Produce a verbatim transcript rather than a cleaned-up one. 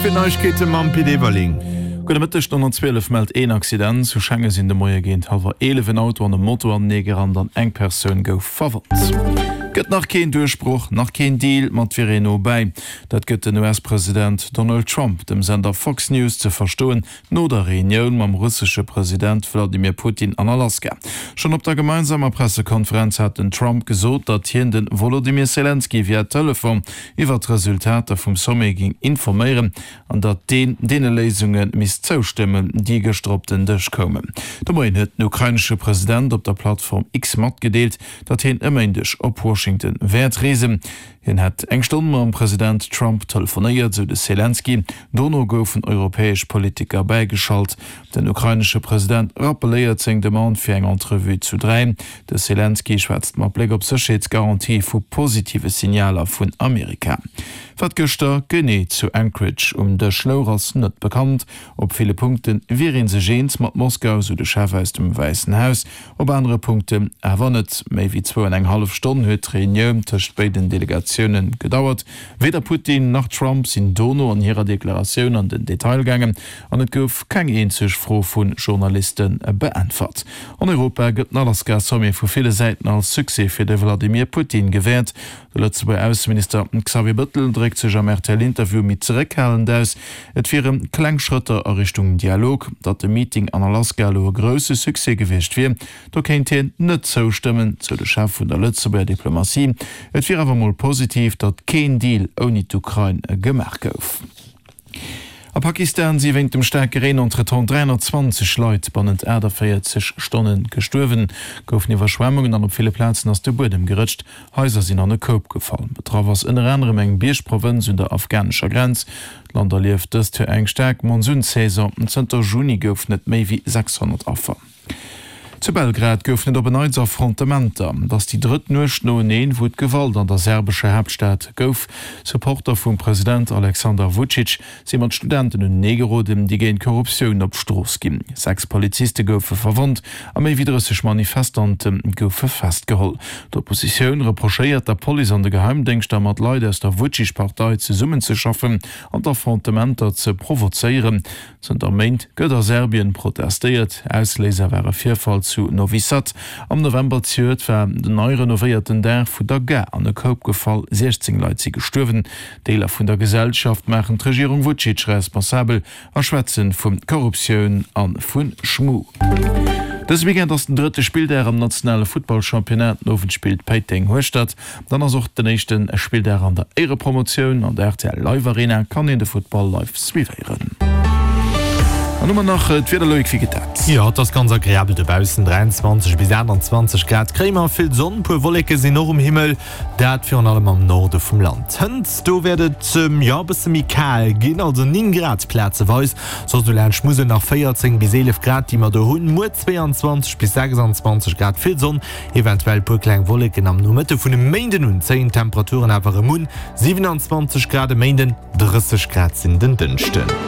fir Neiegkeete mam Pit Everling. Gudde Mëtteg, D'honnertzwielef mellt een Accident. Zu Schengen sinn de Moie géint hallwer eelef en Auto an e Moto aneneegerannt an eng Persoun gouf verwonnt. Gëtt nach keen Duerchbroch, nach keen Deal, ma et wier een no bäi. Dat gëtt den U S-President Donald Trump dem Sender Fox News ze verstoen no der Reunioun mam russesche President Wladimir Putin an Alaska. Schonn op der gemeinsamer Pressekonferenz hat den Trump gesot, datt hien de Wolodymyr Selenskyj via Telefon iwwer d'Resultater vum Sommet géing informéieren an datt deen deene Léisunge misst zoustëmmen, déi gëschter op den Dësch koumen. De Moien huet den ukrainesche President op der Plattform X matgedeelt, datt hien e Méindeg op Washington wäert reesen. Hien hätt eng Stonn mam President Trump telefonéiert, sou de Selenskyj. Dono goufen europäesch Politiker bäigeschalt. Den ukrainesche President rappeléiert seng Demande fir eng Entrevue zu dräi. De Selenskyj schwätzt mat Bléck op Sécherheetsgarantië vu positive Signaler vun Amerika. Wat gëschter genee zu Anchorage um Dësch louch, ass net bekannt. Op ville Punkte wier ee sech eens mat Moskau, sou de Chef aus dem Wäissen Haus, op anere Punkten awer net. Méi wéi zwou an eng hallef Stonn huet d'Reunioun tëscht béiden Delegatioune gedauert. Weder Putin nach Trump sinn dono an hirer Deklaratioun an den Detail gaangen an et gouf keng eenzeg Fro vu Journaliste beäntwert. An Europa gëtt den Alaska-Sommet vu ville Säiten als Succès fir de Wladimir Putin gewäert. De Lëtzebuerger Ausseminister Xavier Bëttel dréckt sech am R T L-Interview méi zeréckhalend aus. Et wiere kleng Schrëtter a Richtung Dialog. Datt de Meeting an Alaska elo e grousse Succès gewiescht wier, do kéint hien net zoustëmmen, sou de Chef vun der Lëtzebuerger Diplomatie. Et wier awer mol positiv, datt keen Deal ouni d'Ukrain gemaach gouf. A Pakistan si wéint dem staarke Reen entretemps dräihonnertzwanzeg Leit bannent aachtavéierzeg Stonne gestuerwen. Goufen Iwwerschwemmungen an op ville Plazen ass de Buedem gerëtscht. Haiser sinn an e Koup gefall. Betraff ass ënner anerem eng Biergprovënz un der afghanescher Grenz. D'Land erlieft dëst Joer eng staark Monsunsaison. Zënter Juni goufen et méi wéi sechshonnert Affer. Zu Belgrad goufen et op en Neits Affrontementer. Et ass déi drëtt Nuecht noeneen, wou et Gewalt an der serbescher Haaptstad gouf. Supporter vum President Aleksandar Vucic si mat Studenten unenee geroden, déi géint Korruptioun op d'Strooss ginn. Sechs Poliziste goufe verwonnt a méi wéi drësseg Manifestante goufe festgeholl. D'Oppositioun reprochéiert der Police an de Geheimdéngschter, mat Leit aus der Vucic-Partei zesummenzeschaffen an d'Affrontementer ze provozéieren. Zënter Méint gëtt a Serbien protestéiert. Ausléiser war e Virfall zu Novi Sad. Am November zejoert war den nei renovéierten Daach vun der Gare an e Koup gefall, siechzéng Leit si gestuerwen. Deeler vun der Gesellschaft maachen d'Regierung Vucic responsabel a schwätze vu Korruptioun a vu Schmu. Dëse Weekend ass den drëtte Spilldag am nationale Futtballchampionnat. Den Owend spillt Péiteng Hueschtert. Dann ass och den éischte Spilldag an der Éierepromotioun. An der R T L Live Arena kann een de Futtball live suivéieren. An hu mer nach d'Wieder, Loïc, wéi geet dat? Jo, et ass ganz agreabel dobaussen, dräianzwanzeg bis aachtanzwanzeg Grad kréie mer, vill Sonn, puer Wolleke sinn och um Himmel, dat virun allem am Norde vum Land. Hënt do wäert et jo e bësse méi kal ginn, also néng Grad plazeweis, soss do laanscht Musel nach véierzéng bis eelef Grad, déi mer do hunn. Muer zwéianzwanzeg bis sechsanzwanzeg Grad, vill Sonn, eventuell puer kleng Wolleken. Am Nomëtte vun e Méinden un zéien d'Temperaturen awer erëm un, siwenanzwanzeg Grad e Méinden, drësseg Grad sinn den Dënschden.